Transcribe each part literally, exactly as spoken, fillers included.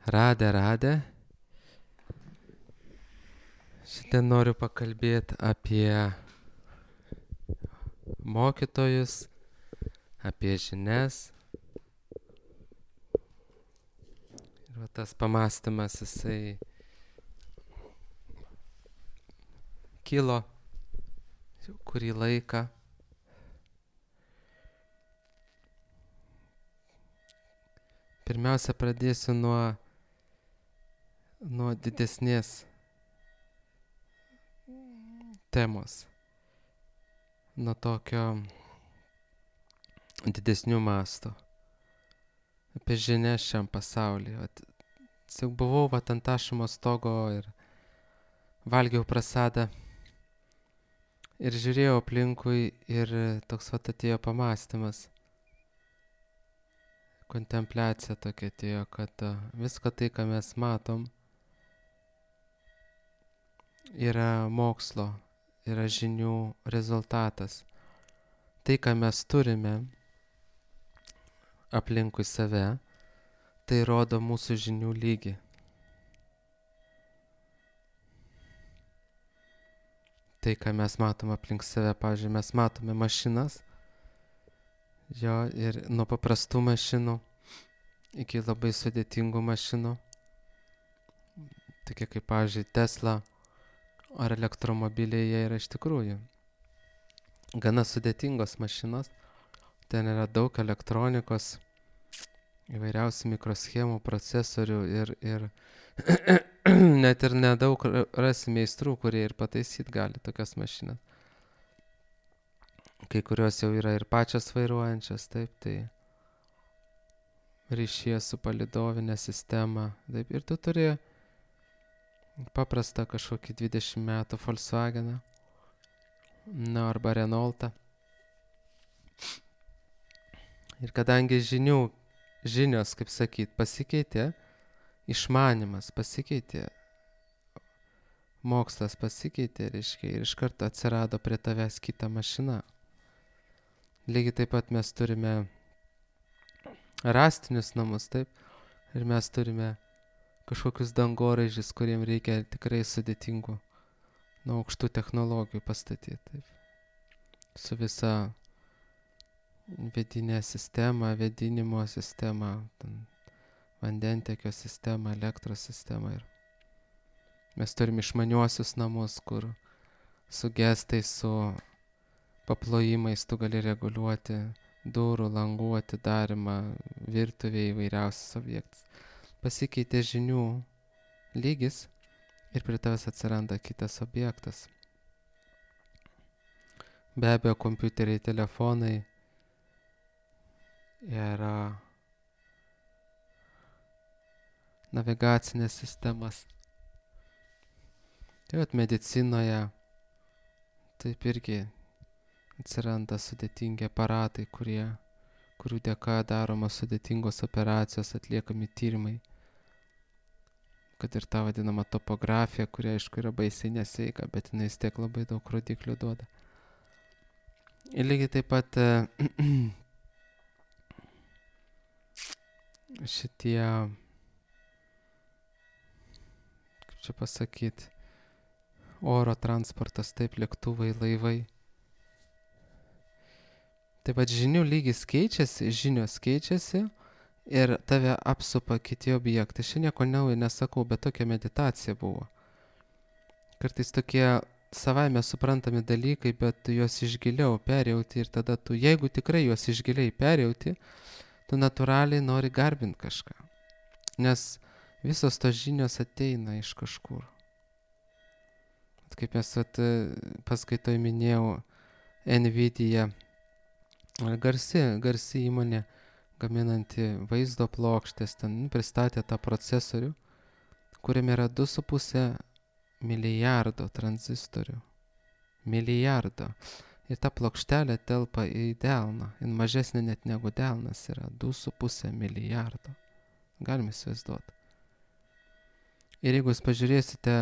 Radę, radę. Šiandien noriu pakalbėti apie mokytojus, apie žinias. Ir va tas pamąstymas, jisai kilo jau kurį laiką. Pirmiausia, pradėsiu nuo, nuo didesnės temos, nuo tokio didesnių mastų, apie žinias šiam pasaulyje. Vat, jau buvau vat ant Ašimo stogo ir valgiau prasadą ir žiūrėjau aplinkui ir toks vat atėjo pamąstymas, kontempliacija tokia atėjo, kad viską tai, ką mes matom, yra mokslo, yra žinių rezultatas. Tai, ką mes turime aplinkui save, tai rodo mūsų žinių lygį. Tai, ką mes matom aplink save, pavyzdžiui, mes matome mašinas, jo, ir nuo paprastų mašinų iki labai sudėtingų mašinų, tokie kaip, pavyzdžiui, Tesla ar elektromobiliai, jie yra iš tikrųjų gana sudėtingos mašinos. Ten yra daug elektronikos, įvairiausių mikroschemų, procesorių ir, ir net ir nedaug rasi meistrų, kurie ir pataisyt gali tokias mašinas. Kai kurios jau yra ir pačios vairuojančios, taip, tai ryšyje su palidovinė sistema, taip, ir tu turi paprastą kažkokį dvidešimt metų Volkswageną, na, arba Renaultą. Ir kadangi žinių, žinios, kaip sakyt, pasikeitė, išmanimas pasikeitė, mokslas pasikeitė, reiškia, ir iš karto atsirado prie tavęs kita mašina. Lygiai taip pat mes turime rąstinius namus, taip, ir mes turime kažkokius dangoraižius, kuriem reikia tikrai sudėtingų, nuo aukštų technologijų pastatyti, taip, su visa vidinė sistema, vėdinimo sistema, vandentekio sistema, elektros sistema. Ir mes turim išmaniuosius namus, kur su gestais, su paplojimais tu gali reguliuoti durų, langų atidarimą, virtuvėje įvairiausius objektus. Pasikeitė žinių lygis ir prie tavęs atsiranda kitas objektas. Be abejo, kompiuteriai, telefonai yra navigacinės sistemas. Tai vat medicinoje taip irgi atsiranda sudėtingi aparatai, kurie, kurių dėka daromos sudėtingos operacijos, atliekami tyrimai. Kad ir ta vadinama topografija, kuri aišku yra baisiai nesveika, bet jinai vis tiek labai daug rodiklių duoda. Ir lygiai taip pat šitie, kaip čia pasakyti, oro transportas, taip, lėktuvai, laivai. Taip pat žinių lygis keičiasi, žinios keičiasi ir tave apsupa kiti objektai. Šiandien nieko naujo nesakau, bet tokia meditacija buvo. Kartais tokie savaime suprantami dalykai, bet tu juos išgiliau perjauti ir tada tu, jeigu tikrai juos išgiliai perjauti, tu natūraliai nori garbinti kažką. Nes visos tos žinios ateina iš kažkur. Kaip mes at, paskaitoj minėjau, Nvidia, garsi, garsi įmonė, gaminanti vaizdo plokštės, ten pristatė tą procesorių, kuriame yra du su puse milijardo tranzistorių. Milijardo. Ir ta plokštelė telpa į delną. Ir mažesnė net negu delnas yra du su puse milijardo. Galime įsivaizduoti. Ir jeigu jūs pažiūrėsite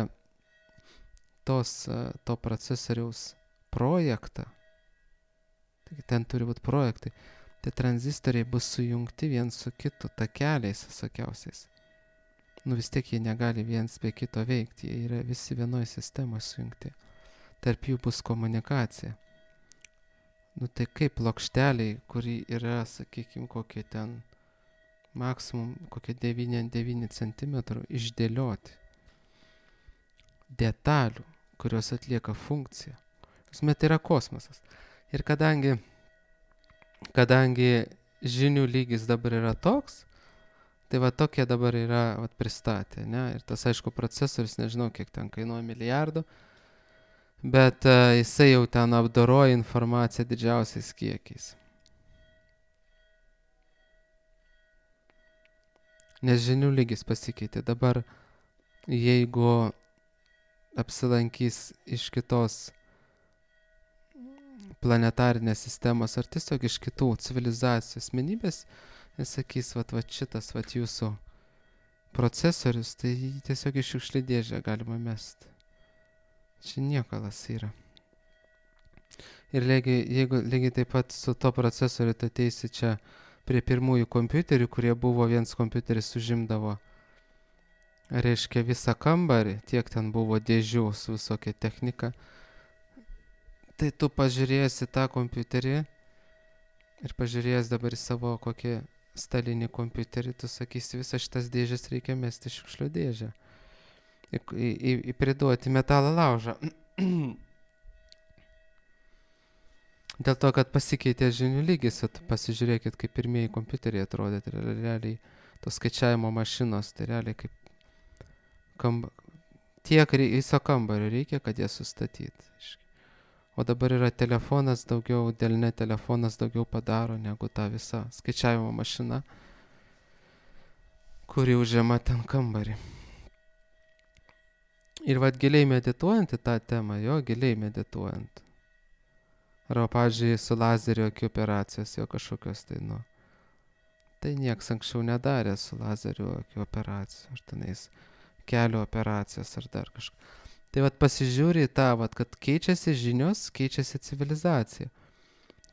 tos, to procesoriaus projektą, taigi ten turi būti projektai, tai tranzistoriai bus sujungti vien su kitu, takeliais visokiausiais. nu vis tiek jie negali viens be kito veikti, jie yra visi vienoje sistemoje sujungti. Tarp jų bus komunikacija. Nu tai kaip plokšteliai, kuri yra, sakykime, kokie ten maksimum, kokie devyni ant devynių centimetrų išdėlioti detalių, kurios atlieka funkciją. Esmė, tai yra kosmosas. Ir kadangi, kadangi žinių lygis dabar yra toks, tai va tokie dabar yra vat, pristatę, ne? Ir tas, aišku, procesorius, nežinau, kiek ten kainuoja milijardų, bet uh, jisai jau ten apdoroja informaciją didžiausiais kiekiais. Nes žinių lygis pasikeitė. Dabar, jeigu apsilankys iš kitos planetarinės sistemos ar tiesiog iš kitų civilizacijų asmenybės, ir sakys, vat, vat šitas, vat jūsų procesorius, tai jį tiesiog iš šiukšlių dėžę galima mesti. Čia niekalas yra. Ir lygiai, jeigu lygiai taip pat su to procesoriu tu ateisi čia prie pirmųjų kompiuterių, kurie buvo, viens kompiuteris užimdavo, reiškia, visą kambarį, tiek ten buvo dėžių su visokia technika, tai tu pažiūrėsi tą kompiuterį ir pažiūrėjęs dabar į savo kokį stalinį kompiuterį, tu sakysi, visas šitas dėžės reikia mesti šiukšlių dėžę. Į, į, į priduoti metalo laužą. Dėl to, kad pasikeitė žinių lygis, tu pasižiūrėkit, kaip pirmieji kompiuteriai atrodė, tai realiai tos skaičiavimo mašinos, tai realiai kaip kamba, tiek rei, viso kambario reikia, kad jie sustatyti. O dabar yra telefonas daugiau, delne telefonas daugiau padaro negu ta visa skaičiavimo mašina, kuri užima ten kambarį. Ir vad giliai medituojant į tą temą, jo giliai medituojant. Arba, pavyzdžiui, su lazerio akių operacijos, jo kažkokios tai, nu. Tai nieks anksčiau nedarė su lazerio akių operacijos, ar tenais kelio operacijos, ar dar kažką. Tai vat pasižiūri į tą, vat, kad keičiasi žinios, keičiasi civilizacija.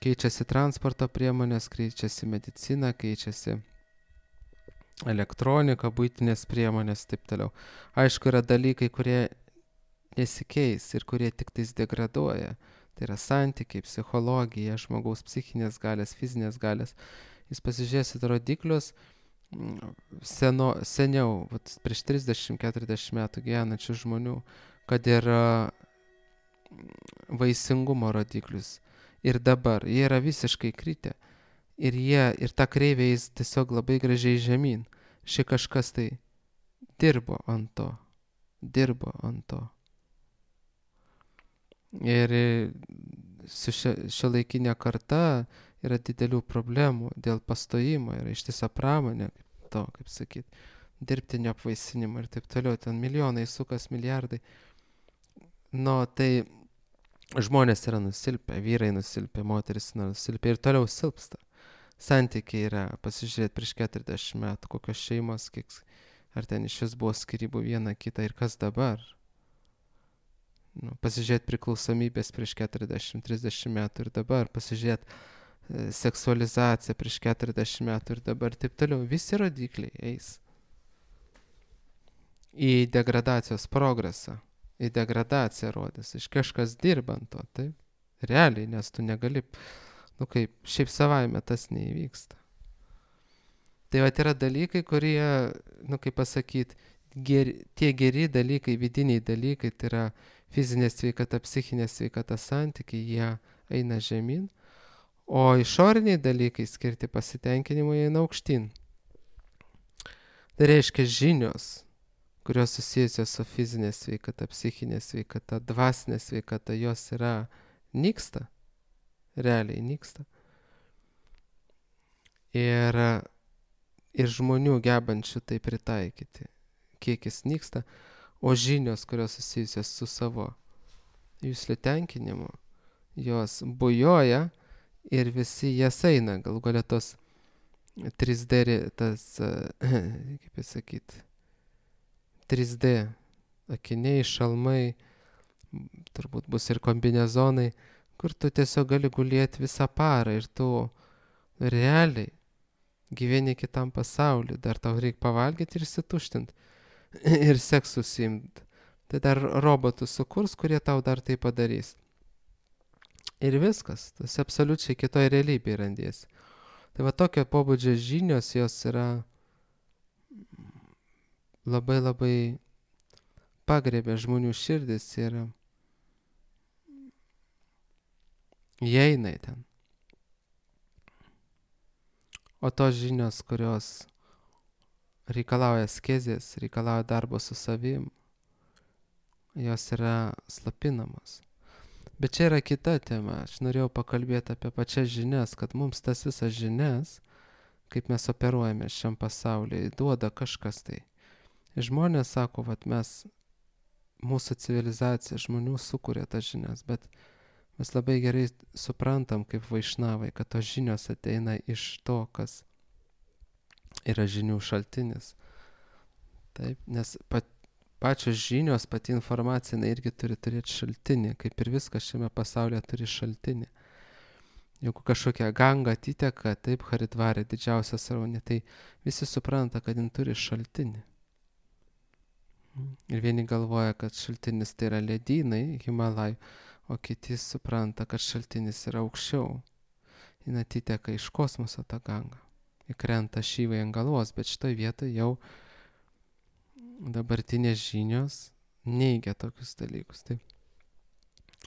Keičiasi transporto priemonės, keičiasi medicina, keičiasi elektronika, buitinės priemonės, taip toliau. Aišku, yra dalykai, kurie nesikeis ir kurie tik tais degraduoja. Tai yra santykiai, psichologija, žmogaus psichinės galės, fizinės galės. Jūs pasižiūrėsit rodiklius seno, seniau, vat, prieš trisdešimt keturiasdešimt metų gyvenančių žmonių, kad yra vaisingumo rodiklius. Ir dabar jie yra visiškai kritę. Ir jie, ir ta kreivė jis tiesiog labai gražiai žemyn. Ši kažkas tai dirbo ant to. Dirbo ant to. Ir su šiuolaikinė karta yra didelių problemų dėl pastojimo. Yra ištisa pramonė, to, kaip sakyt, dirbtinio apvaisinimo ir taip toliau. Ten milijonai sukas, milijardai. Nu, tai žmonės yra nusilpę, vyrai nusilpę, moteris nusilpę ir toliau silpsta. Santykiai yra, pasižiūrėti prieš keturiasdešimt metų, kokios šeimos, kiek, ar ten iš vis buvo skyrybų viena kita ir kas dabar. Nu, pasižiūrėti priklausomybės prieš keturiasdešimt trisdešimt metų ir dabar, pasižiūrėti e, seksualizaciją prieš keturiasdešimt metų ir dabar, taip toliau, visi rodikliai eis į degradacijos progresą, į degradaciją rodys, iš kažkas dirbant to, taip, realiai, nes tu negali, nu kaip, šiaip savaime tas neįvyksta. Tai vat yra dalykai, kurie, nu kaip pasakyti, geri, tie geri dalykai, vidiniai dalykai, tai yra fizinė sveikata, psichinė sveikata, santykiai, jie eina žemyn, o išoriniai dalykai skirti pasitenkinimui eina aukštyn. Tai reiškia žinios, kurios susijusios su fizinė sveikata, psichinė sveikata, dvasinė sveikata, jos yra nyksta, realiai nyksta. Ir, ir žmonių gebančių tai pritaikyti, kiekis nyksta, o žinios, kurios susijusios su savo juslių tenkinimu, jos bujoja ir visi jas eina, gal galia tos trys D, tas, kaip pasakyti, trys D akiniai, šalmai, turbūt bus ir kombinezonai, kur tu tiesiog gali gulėti visą parą ir tu realiai gyveni kitam pasauliu, dar tau reikia pavalgyti ir įsituštinti. ir seks užsiimt. Tai dar robotus sukurs, kurie tau dar tai padarys. Ir viskas, tas absoliučiai kitoj realybėje randiesi. Tai va tokio pobūdžio žinios, jos yra labai labai pagriebė žmonių širdis ir įeina į ten. O tos žinios, kurios reikalauja askezės, reikalauja darbo su savim, jos yra slapinamos. Bet čia yra kita tema. Aš norėjau pakalbėti apie pačias žinias, kad mums tas visas žinias, kaip mes operuojame šiam pasaulyje, duoda kažkas tai. Ir žmonės sako, vat mes, mūsų civilizacija žmonių sukuria tas žinias, bet mes labai gerai suprantam kaip vaišnavai, kad tos žinios ateina iš to, kas yra žinių šaltinis. Taip, nes pat, pačios žinios, pati informacija, jinai irgi turi turėti šaltinį, kaip ir viskas šiame pasaulyje turi šaltinį. Jeigu kažkokia ganga atiteka, taip, Haridvarė, didžiausia sraunė, tai visi supranta, kad jin turi šaltinį. Ir vieni galvoja, kad šaltinis tai yra ledynai, Himalajų, o kiti supranta, kad šaltinis yra aukščiau. Jin atiteka iš kosmoso tą gangą. Įkrenta šyvai ant galvos, bet šitoj vietoje jau dabartinės žinios neigia tokius dalykus. Taip.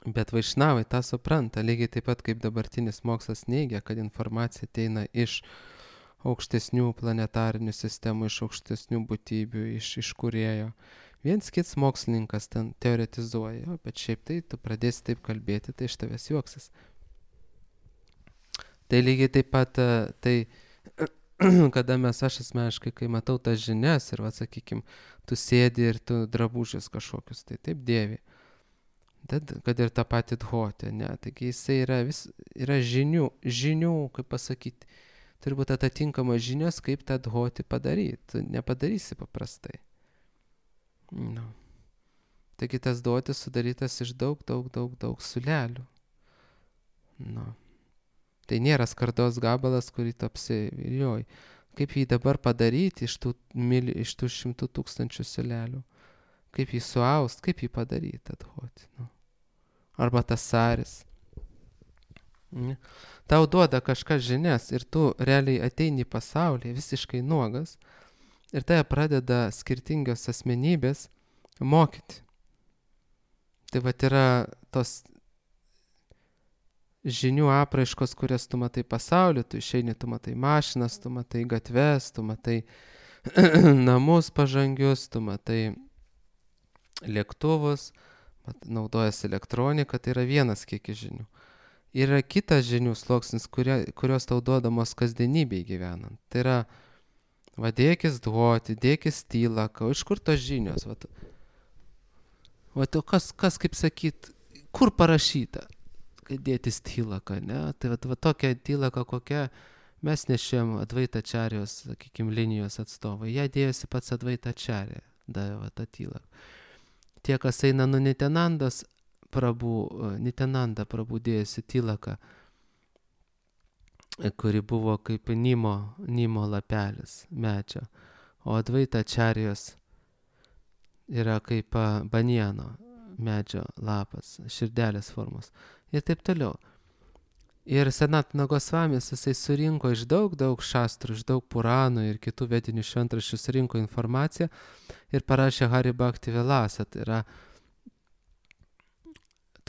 Bet vaišnavai tą supranta, lygiai taip pat kaip dabartinis mokslas neigia, kad informacija ateina iš aukštesnių planetarinių sistemų, iš aukštesnių būtybių, iš, iš kūrėjo. Viens kits mokslininkas ten teoretizuoja, bet šiaip tai tu pradėsi taip kalbėti, tai iš tavęs juoksis. Tai lygiai taip pat, tai kada mes, aš asmeniškai, kai matau tas žinias ir, va, sakykim, tu sėdi ir tu drabužius kažkokius, tai taip dėvi. Tad, kad ir tą patį dhoti, ne, taigi jisai yra, vis, yra žinių, žinių, kaip pasakyti, turi būti atitinkamos žinios, kaip tą dhoti padaryti, tu nepadarysi paprastai. No. Taigi tas dhotis sudarytas iš daug, daug, daug, daug sulelių. No. Tai nėra skardos gabalas, kurį tu apsivilioji. Kaip jį dabar padaryti iš tų, mili, iš tų šimtų tūkstančių sulelių? Kaip jį suaust, kaip jį padaryti dhoti? No. Arba tas saris. Ne? Tau duoda kažkas žinias ir tu realiai ateini į pasaulį visiškai nuogas ir tai pradeda skirtingios asmenybės mokyti. Tai vat yra tos žinių apraiškos, kurias tu matai pasaulį, tu išeini, tu matai mašinas, tu matai gatves, tu matai namus pažangius, tu matai lėktuvus, mat, naudojas elektronika, tai yra vienas kiekis žinių. Yra kitas žinių sluoksnis, kurie, kurios tau duodamos kasdienybėj gyvenant. Tai yra, va, dėkis dhoti, dėkis tylaką, o iš kur tos žinios? Va, va, o kas, kas, kaip sakyt, kur parašyta, kad dėtis tylaką, ne? Tai va, va tokia tylaka, kokia mes nešėm Advaitačarijos, sakykim, linijos atstovai. Ją dėjosi pats Advaitačarė, davė tą tylaką. Tie, kas eina nuo Nityanandos, Prabhu, Nityananda Prabhu dėjosi tylaką, kuri buvo kaip nimo, nimo lapelis medžio, o Advaitačarijos yra kaip banieno medžio lapas, širdelės formos ir taip toliau. Ir Sanatana Gosvamis jisai surinko iš daug, daug šastrų, iš daug puranų ir kitų vedinių šventraščių surinko informaciją ir parašė Hari Bhakti Vilasa. Tai yra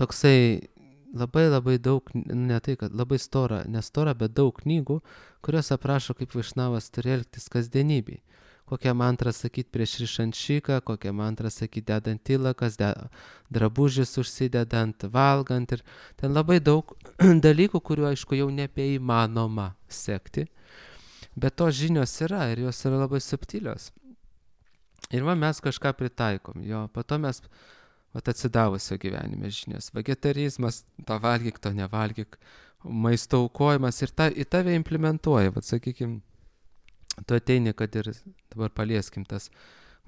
toksai labai labai daug, ne tai, kad labai stora, nestora, bet daug knygų, kurios aprašo, kaip vaišnavas turi elgtis kasdienybėj. Kokią mantrą sakyti prieš rišančiką, kokią mantrą sakyti dedant tylakas, de, drabužis užsidedant, valgant. Ir ten labai daug dalykų, kuriuo, aišku, jau nebeįmanoma sekti. Bet tos žinios yra ir jos yra labai subtilios. Ir va, mes kažką pritaikom. Jo, po to mes va, atsidavusio gyvenime žinios. Vegetarizmas, to valgyk, to nevalgyk, maisto aukojimas ir ta, į tave implementuoja, va, sakykim, tu ateini, kad ir dabar palieskim tas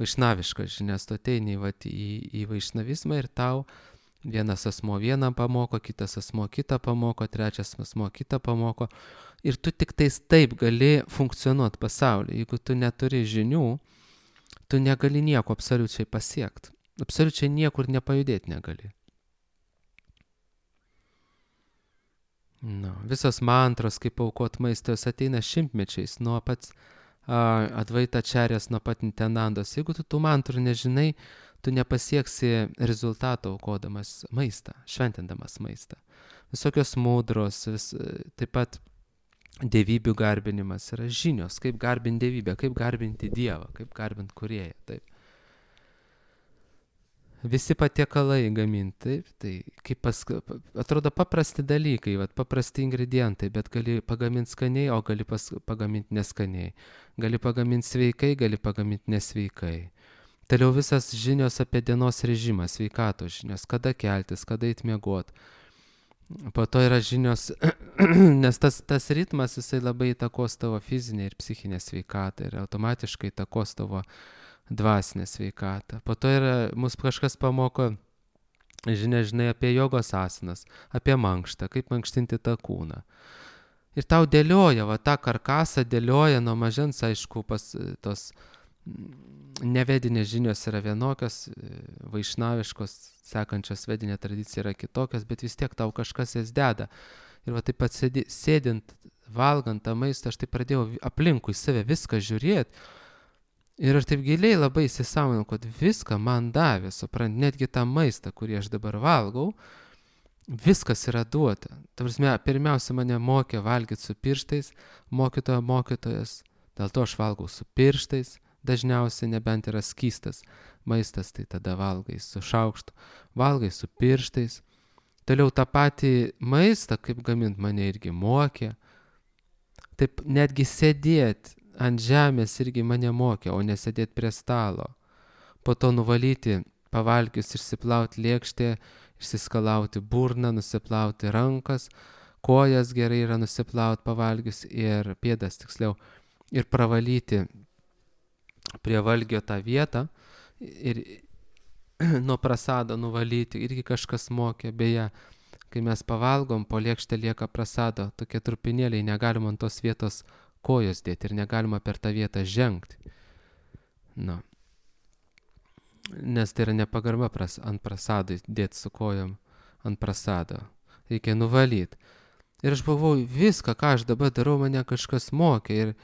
vaišnaviškas žinias, tu ateini vat, į, į vaišnavizmą ir tau vienas asmo vieną pamoko, kitas asmo kitą pamoko, trečias asmo kitą pamoko ir tu tik tais taip gali funkcionuoti pasaulyje. Jeigu tu neturi žinių, tu negali nieko absoliučiai pasiekti. Absoliučiai niekur nepajudėti negali. No, visos mantros, kaip aukot maistą, jos ateina šimtmečiais, nuo pats uh, Advaita Čarės, nuo pat Nitenandos. Jeigu tu tų mantrų nežinai, tu nepasieksi rezultato aukodamas maistą, šventindamas maistą. Visokios mudros, vis, taip pat dievybių garbinimas yra žinios, kaip garbinti dievybę, kaip garbinti Dievą, kaip garbinti Kūrėją. Taip. Visi patiekalai gaminti, taip, tai kaip pas, atrodo paprasti dalykai, vat, paprasti ingredientai, bet gali pagaminti skaniai, o gali pas, pagaminti neskaniai. Gali pagaminti sveikai, gali pagaminti nesveikai. Toliau visas žinios apie dienos režimą, sveikatos žinios, kada keltis, kada eit miegot. Po to yra žinios, nes tas, tas ritmas, jisai labai įtakos tavo fizinę ir psichinę sveikatą ir automatiškai įtakos tavo dvasinę sveikatą. Po to yra, mus kažkas pamoko, žinia, žinai, apie jogos asanas, apie mankštą, kaip mankštinti tą kūną. Ir tau dėlioja, va, tą karkasą dėlioja nuo mažens, aišku, pas tos nevedinės žinios yra vienokios, vaišnaviškos, sekančios vedinė tradicija yra kitokios, bet vis tiek tau kažkas jas deda. Ir va taip pat sėdi, sėdint, valgant tą maistą, aš taip pradėjau aplinkui save viską žiūrėti. Ir aš taip giliai labai įsisąmoninau, kad viską man davė, suprant, netgi tą maistą, kurį aš dabar valgau, viskas yra duota. Ta prasme, pirmiausia, mane mokė valgyti su pirštais, mokytojo mokytojas, dėl to aš valgau su pirštais, dažniausiai nebent yra skystas maistas, tai tada valgai su šaukštu, valgai su pirštais. Toliau tą patį maistą, kaip gamint, mane irgi mokė. Taip netgi sėdėti ant žemės irgi mane mokė, o nesėdėti prie stalo. Po to nuvalyti, pavalgius, išsiplauti lėkštę, išsiskalauti burną, nusiplauti rankas, kojas gerai yra nusiplauti pavalgius ir pėdas tiksliau, ir pravalyti prie valgio tą vietą ir nuo prasado nuvalyti, irgi kažkas mokė. Beje, kai mes pavalgom, po lėkštę lieka prasado, tokie trupinėliai, negalima ant tos vietos kojos dėti ir negalima per tą vietą žengti. Nu. Nes tai yra nepagarba pras, ant prasado dėti su kojom ant prasado. Reikia nuvalyti. Ir aš buvau, viską, ką aš dabar darau, mane kažkas mokė. Ir,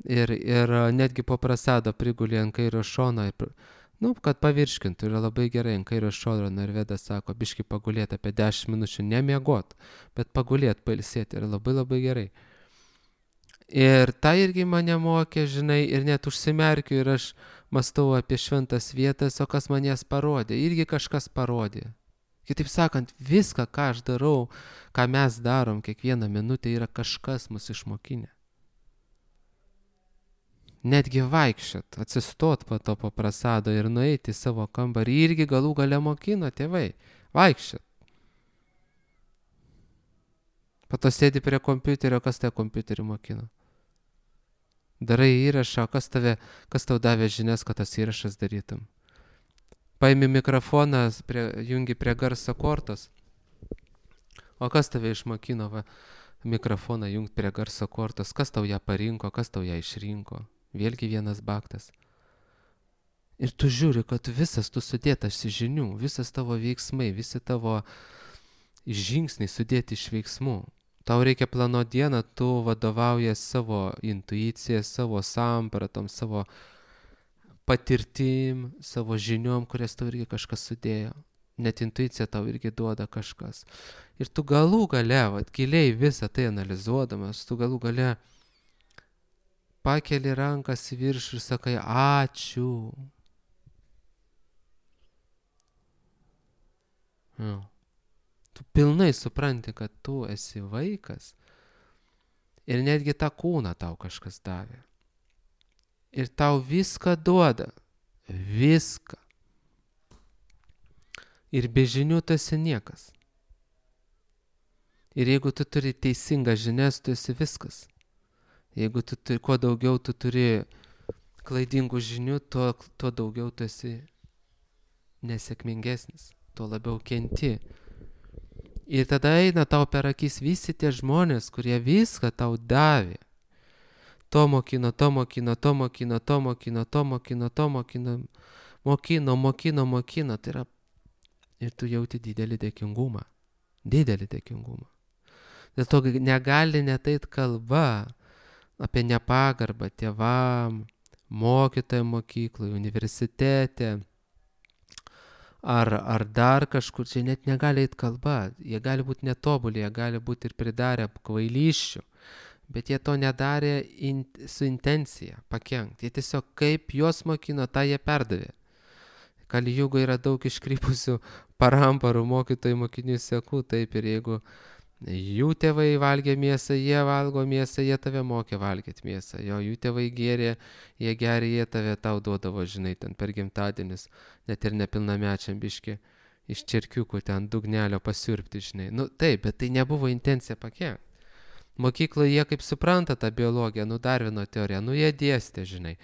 ir, ir netgi po prasado prigulė ant kairio šono. Ir, nu, kad pavirškintų, yra labai gerai ant kairio šono. Ir Vedas sako, biški pagulėti apie dešimt minučių, nemiegot, bet pagulėti, pailsėti. Yra labai labai gerai. Ir tai irgi mane mokė, žinai, ir net užsimerkiu ir aš mąstau apie šventas vietas, o kas man jas parodė. Irgi kažkas parodė. Kitaip sakant, viską, ką aš darau, ką mes darom kiekvieną minutę, yra kažkas mus išmokinę. Netgi vaikščiot, atsistot po to po prasado ir nueiti į savo kambarį, irgi galų gale mokino tėvai. Vaikščiot. Po to sėdi prie kompiuterio, kas tą kompiuterį mokino. Darai įrašą, kas, tave, kas tau davė žinias, kad tas įrašas darytum. Paimi mikrofoną, prie, jungi prie garso kortos. O kas tave išmokino va, mikrofoną jungti prie garso kortos? Kas tau ją parinko, kas tau ją išrinko? Vėlgi vienas baktas. Ir tu žiūri, kad visas tu sudėtas iš žinių, visas tavo veiksmai, visi tavo žingsniai sudėti iš veiksmų. Tau reikia planuoti dieną, tu vadovaujies savo intuicija, savo sampratom, savo patirtim, savo žiniom, kurias tau irgi kažkas sudėjo. Net intuicija tau irgi duoda kažkas. Ir tu galų gale, vat, giliai visą tai analizuodamas, tu galų gale pakeli rankas į viršų ir sakai, ačiū. Nu. Tu pilnai supranti, kad tu esi vaikas ir netgi tą kūną tau kažkas davė. Ir tau viską duoda. Viską. Ir be žinių tu esi niekas. Ir jeigu tu turi teisingą žinias, tu esi viskas. Jeigu tu turi, kuo daugiau tu turi klaidingų žinių, tuo, tuo daugiau tu esi nesėkmingesnis, tuo labiau kenti. Ir tada eina tau per akis visi tie žmonės, kurie viską tau davė. to mokino, to mokino, to mokino, to mokino, to mokino, to mokino, mokino, mokino, mokino. Tai yra, ir tu jauti didelį dėkingumą. Didelį dėkingumą. Dėl to negali netait kalba apie nepagarbą tėvam, mokytojam mokykloje, universitete, ar, ar dar kažkur, čia net negali eit kalba. Jie gali būti netobuli, jie gali būti ir pridarę kvailysčių, bet jie to nedarė in, su intencija pakenkt. Jie tiesiog kaip juos mokino, tą jie perdavė. Kali Jugo yra daug iškrypusių paramparų mokytojų mokinių sekų, taip, ir jeigu jų tėvai valgė mėsą, jie valgo mėsą, jie tave mokė valgyti mėsą. Jo, jų tėvai gėrė, jie geria, jie tave tau duodavo, žinai, ten per gimtadienis, net ir nepilnamečiam biški iš čirkiukų ten dugnelio pasiurbti, žinai. Nu taip, bet tai nebuvo intencija pakenkt. Mokykloje jie kaip supranta tą biologiją, nu Darvino teoriją, nu jie dėstė, žinai.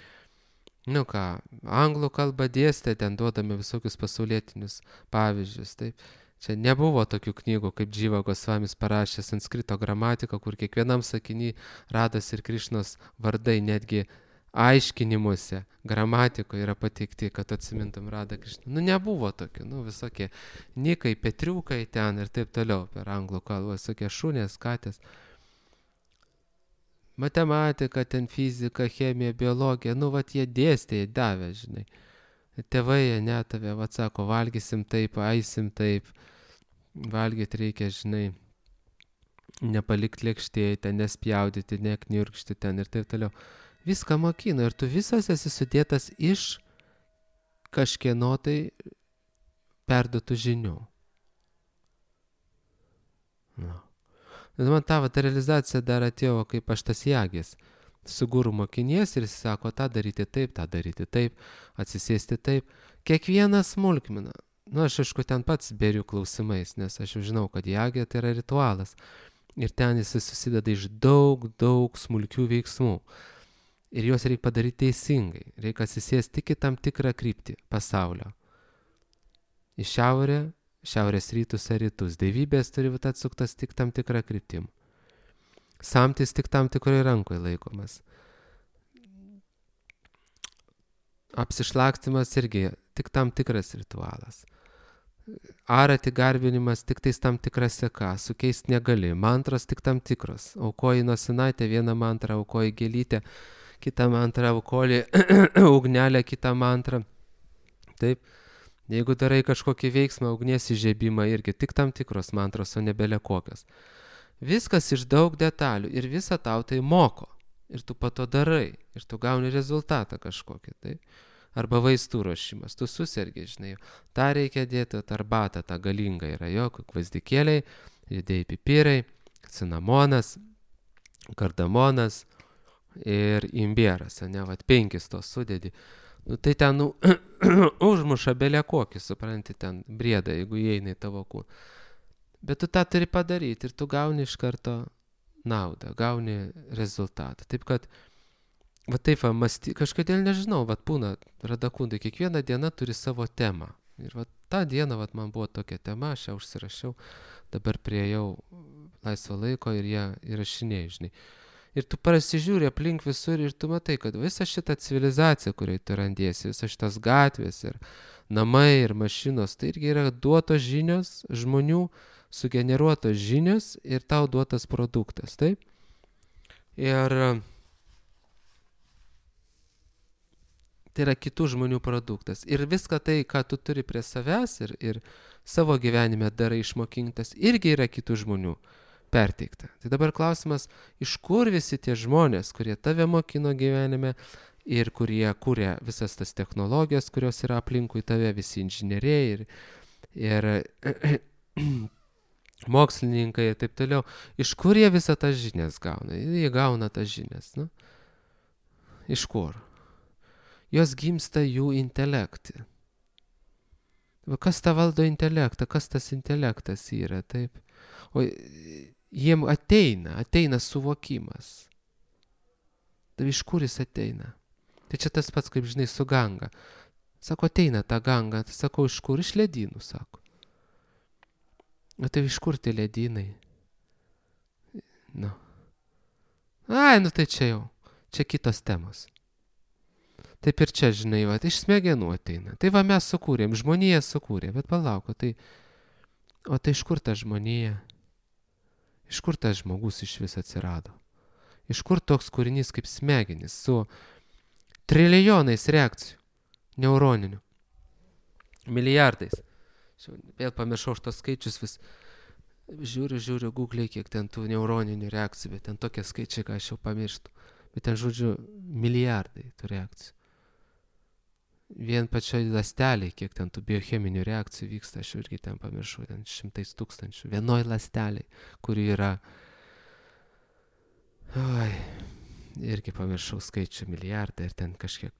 Nu ką, anglų kalbą dėstė, ten duodami visokius pasaulietinius pavyzdžius, taip. Čia nebuvo tokių knygų, kaip Dživa Gosvamis parašė sanskrito gramatiką, kur kiekvienam sakiny Rados ir Krišnos vardai netgi aiškinimuose, gramatikoje yra pateikti, kad atsimintum Radą Krišną. Nu nebuvo tokių, nu visokie nikai, petriukai ten ir taip toliau per anglų kalbą, visokie šunės, katės. Matematika, ten fizika, chemija, biologija, nu vat jie dėstė, jie davė, žinai. Tėvai jie netavė, vat sako, valgysim taip, aisim taip, valgyti reikia, žinai, nepalikti lėkštėje, ten nespjaudyti, nekniurkšti ten ir taip toliau. Viską mokino ir tu visas esi sudėtas iš kažkieno tai perduotų žinių. No. Man ta vat realizacija dar atėjo, kaip aš tas jagis. Su guru mokinies ir jis sako, tą daryti taip, tą daryti taip, atsisėsti taip. Kiekvieną smulkmeną. Nu, aš aišku, ten pats beriu klausimais, nes aš jau žinau, kad jagė tai yra ritualas. Ir ten jis susideda iš daug, daug smulkių veiksmų. Ir juos reikia padaryti teisingai. Reikia atsisėsti tik į tam tikrą kryptį pasaulio. Į šiaurę, šiaurės rytus ar rytus. Dievybės turi būti atsuktas tik tam tikrą kryptim. Samtis tik tam tikrai rankoje laikomas. Apsišlakstimas irgi tik tam tikras ritualas. Arati garbinimas tik tais tam tikra seka, sukeisti negali. Mantros tik tam tikros. Aukoji nosinaitę vieną mantrą, aukoji gėlytę, kitą mantrą, aukoji ugnelę, kitą mantrą. Taip. Jeigu darai kažkokį veiksmą, ugnies įžiebimą irgi tik tam tikros mantros, o nebele kokios. Viskas iš daug detalių ir visą tau tai moko. Ir tu po to darai. Ir tu gauni rezultatą kažkokį. Tai. Arba vaistų ruošimas. Tu susirgi, žinai. Ta reikia dėti, arbatą, ta galinga yra jo, gvazdikėliai, judėjai pipirai, cinamonas, kardamonas ir imbieras. Ne, vat penkis tos sudėdi. Nu, tai ten nu, užmuša belė kokį, supranti, ten briedą, jeigu įeina į tavo kūną. Bet tu tą turi padaryti ir tu gauni iš karto naudą, gauni rezultatą. Taip kad, va taip, va, masty, kažkodėl nežinau, va būna radakundai, kiekviena diena turi savo temą. Ir va tą dieną va, man buvo tokia tema, aš ją užsirašiau, dabar priejau laisvo laiko ir ją įrašinėjau, žinai. Ir tu prasižiūri aplink visur ir tu matai, kad visa šita civilizacija, kurioje tu randiesi, visas šitas gatvės ir namai ir mašinos, tai irgi yra duotos žinios, žmonių sugeneruotos žinios ir tau duotas produktas, taip? Ir tai yra kitų žmonių produktas. Ir viską tai, ką tu turi prie savęs ir, ir savo gyvenime darai išmokintas, irgi yra kitų žmonių perteikta. Tai dabar klausimas, iš kur visi tie žmonės, kurie tave mokino gyvenime ir kurie kūrė visas tas technologijas, kurios yra aplinkui tave, visi inžinieriai ir, ir mokslininkai ir taip toliau, iš kur jie visą tas žinias gauna? Jie gauna tas žinias, nu? Iš kur? Jos gimsta jų intelekte. Kas tą valdo intelektą? Kas tas intelektas yra, taip? O jiem ateina, ateina suvokimas. Tai iš kur jis ateina? Tai čia tas pats, kaip žinai, su ganga. Sako, ateina ta ganga. Tai sako, iš kur? Iš ledynų, sako. O tai iš kur tie ledynai? Nu. Ai, nu tai čia jau. čia kitos temos. Taip ir čia, žinai, va, iš smegenų ateina. Tai va mes sukūrėm, žmonija sukūrė, bet palauk, o tai, o tai iš kur ta žmonija? Iš kur tas žmogus iš vis atsirado? Iš kur toks kūrinys kaip smegenis su trilijonais reakcijų, neuroninių, milijardais. Vėl pamiršau šitos skaičius, vis žiūriu, žiūriu, Google'ai, kiek ten tų neuroninių reakcijų, bet ten tokie skaičiai, ką aš jau pamirštu. Bet ten, žodžiu, milijardai tų reakcijų. Vien pačioj ląstelėj, kiek ten tų biocheminių reakcijų vyksta, aš irgi ten pamiršau, ten šimtais tūkstančių. Vienoj ląstelėj, kuri yra, oi, irgi pamiršau skaičių milijardai ir ten kažkiek,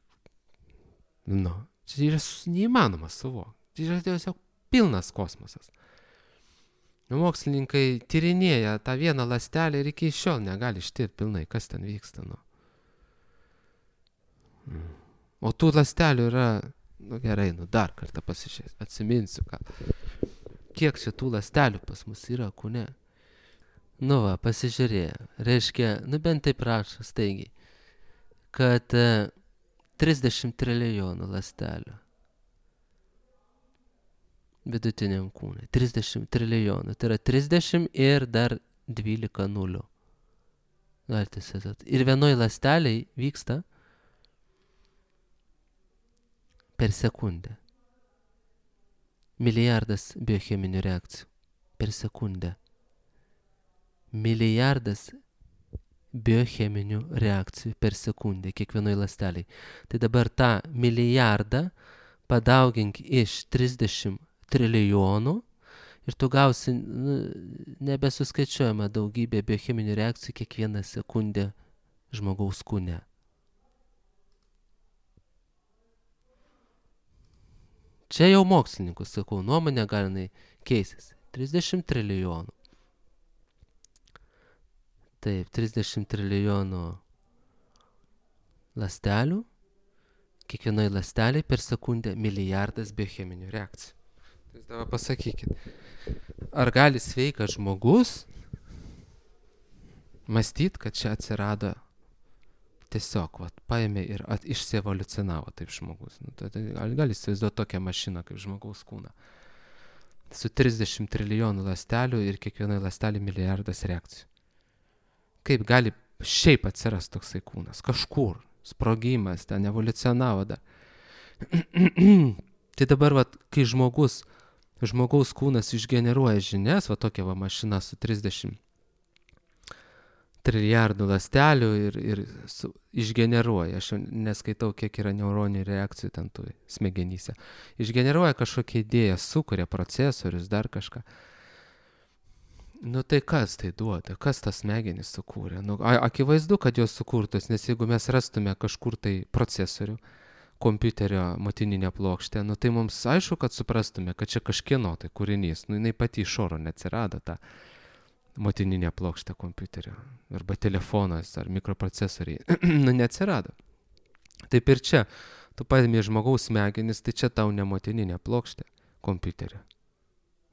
nu, čia yra neįmanoma suvokti. Tai yra tiesiog pilnas kosmosas. Mokslininkai tyrinėja tą vieną ląstelę ir iki šiol negali ištirti pilnai, kas ten vyksta, nu. Mm. O tų ląstelių yra, nu gerai, nu dar kartą pasižiūrės, atsiminsiu, ką. Kiek čia tų ląstelių pas mus yra kūne? Nu va, pasižiūrėjo. Reiškia, nu bent taip rašo staigiai, kad e, trisdešimt trilijonų ląstelių vidutiniam kūnui. trisdešimt trilijonų. Tai yra trisdešimt ir dar dvylika nulių. Galite įsivaizduoti. Ir vienoj ląsteliai vyksta per sekundę. Milijardas biocheminių reakcijų. Per sekundę. Milijardas biocheminių reakcijų per sekundę kiekvienoj ląsteliai. Tai dabar tą milijardą padaugink iš trisdešimt trilijonų ir tu gausi nu, nebesuskaičiuojama daugybė biocheminių reakcijų kiekvieną sekundę žmogaus kūne. Čia jau mokslininkų, sakau, nuomonė gali keistis. trisdešimt trilijonų. Taip, trisdešimt trilijonų ląstelių. Kiekvienoj ląsteliai per sekundę milijardas biocheminių reakcijų. Tai dabar pasakykit, ar gali sveikas žmogus mąstyt, kad čia atsirado tiesiog, vat, paėmė ir at, išsievoliucionavo taip žmogus. Nu, tai, tai gali, gali įsivaizduoti tokią mašiną kaip žmogaus kūną. Su trisdešimt trilijonų ląstelių ir kiekvienai ląstelį milijardas reakcijų. Kaip gali šiaip atsiras toksai kūnas? Kažkur. Sprogimas, ten evoliucionavo dar. Tai dabar, vat, kai žmogus, žmogaus kūnas išgeneruoja žinias, va tokia va mašina su trisdešimt trilijardų ląstelių ir, ir su, išgeneruoja, aš neskaitau, kiek yra neuroninių reakcijų ten tų smegenyse, išgeneruoja kažkokią idėją, sukuria procesorius, dar kažką. Nu tai kas tai duoda, kas tas smegenis sukūrė? Nu, akivaizdu, kad jos sukurtos, nes jeigu mes rastume kažkur tai procesorių, kompiuterio motininę plokštę, nu tai mums aišku, kad suprastume, kad čia kažkieno tai kūrinys, nu jinai pati iš oro neatsirado ta motininė plokštė kompiuterio, arba telefonas, ar mikroprocesoriai, nu neatsirado. Taip ir čia, tu paėmė žmogaus smegenis, tai čia tau ne motininė plokštė kompiuterio.